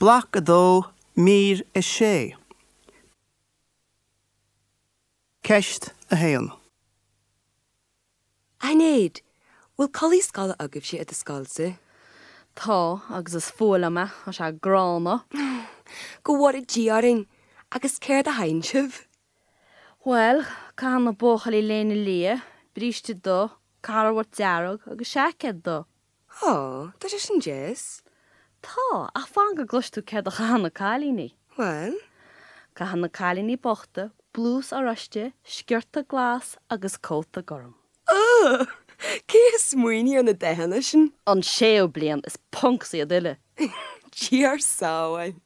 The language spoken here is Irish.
Bloc 2, Mír 6. Ceist 1. A Shinéad, bhfuil culaith scoile agaibhse i do scoilsa? Tá, agus is fuath liom é, tá sé gránna. Go bhfóire Dia orainn, agus céard a chaitheann sibh? Bhuel, caitheann na buachaillí léine liath, bríste dubh, carbhat dearg agus seaicéad dubh. Ó, tá sé sin deas. Tá, ach fan go gcloisfidh tú céard a chaitheann na cailíní. Bhuel? Caitheann na cailíní bochta blús oráiste, sciorta glas agus cóta gorm. Ugh! Cé a smaoinigh ar na dathanna sin? An séú bliain, is punks iad uile. Dia ár sábháil.